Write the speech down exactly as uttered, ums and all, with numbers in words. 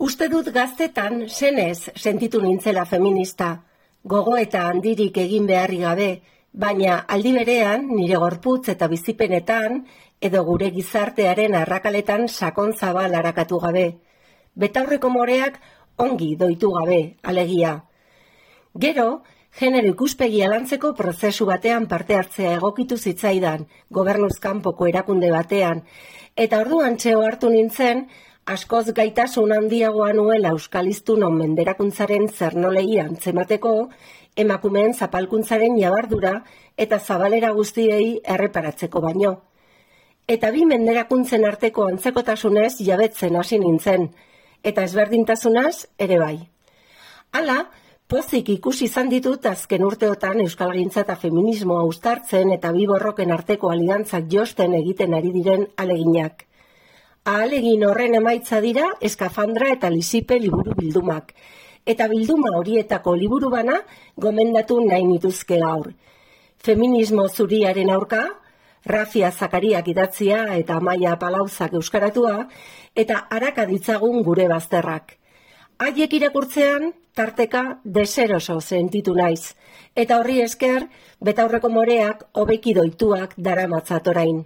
Uste dut gaztetan senez sentitu nintzela feminista, gogo eta handirik egin beharri gabe, baina aldi berean nire gorputz eta bizipenetan edo gure gizartearen arrakaletan sakon zabal arakatu gabe. Betaurreko moreak ongi doitu gabe, alegia. Gero, genero ikuspegia lantzeko prozesu batean parte hartzea egokitu zitzaidan, gobernuz kanpoko erakunde batean, eta orduan txeo hartu nintzen, askoz gaitasun handiagoa nuela euskaliztunon menderakuntzaren zernolei antzemateko, emakumeen zapalkuntzaren jabardura eta zabalera guztiei erreparatzeko baino. Eta bi menderakuntzen arteko antzekotasunez jabetzen hasi nintzen, eta ezberdintasunaz ere bai. Hala, pozik ikusi izan ditut azken urteotan euskalgintza eta feminismoa uztartzen eta bi borroken arteko aliantzak josten egiten ari diren aleginak. Ahalegin horren emaitza dira Eskafandra eta Lisipe liburu bildumak, eta bilduma horietako liburu bana gomendatu nahi nituzke gaur. Feminismo zuriaren aurka, Rafia Zakariak idatzia eta Amaia Palauzak euskaratua, eta haraka ditzagun gure bazterrak. Haiek irakurtzean, tarteka deseroso sentitu naiz, eta horri esker, betaurreko moreak hobeki doituak daramatzat orain.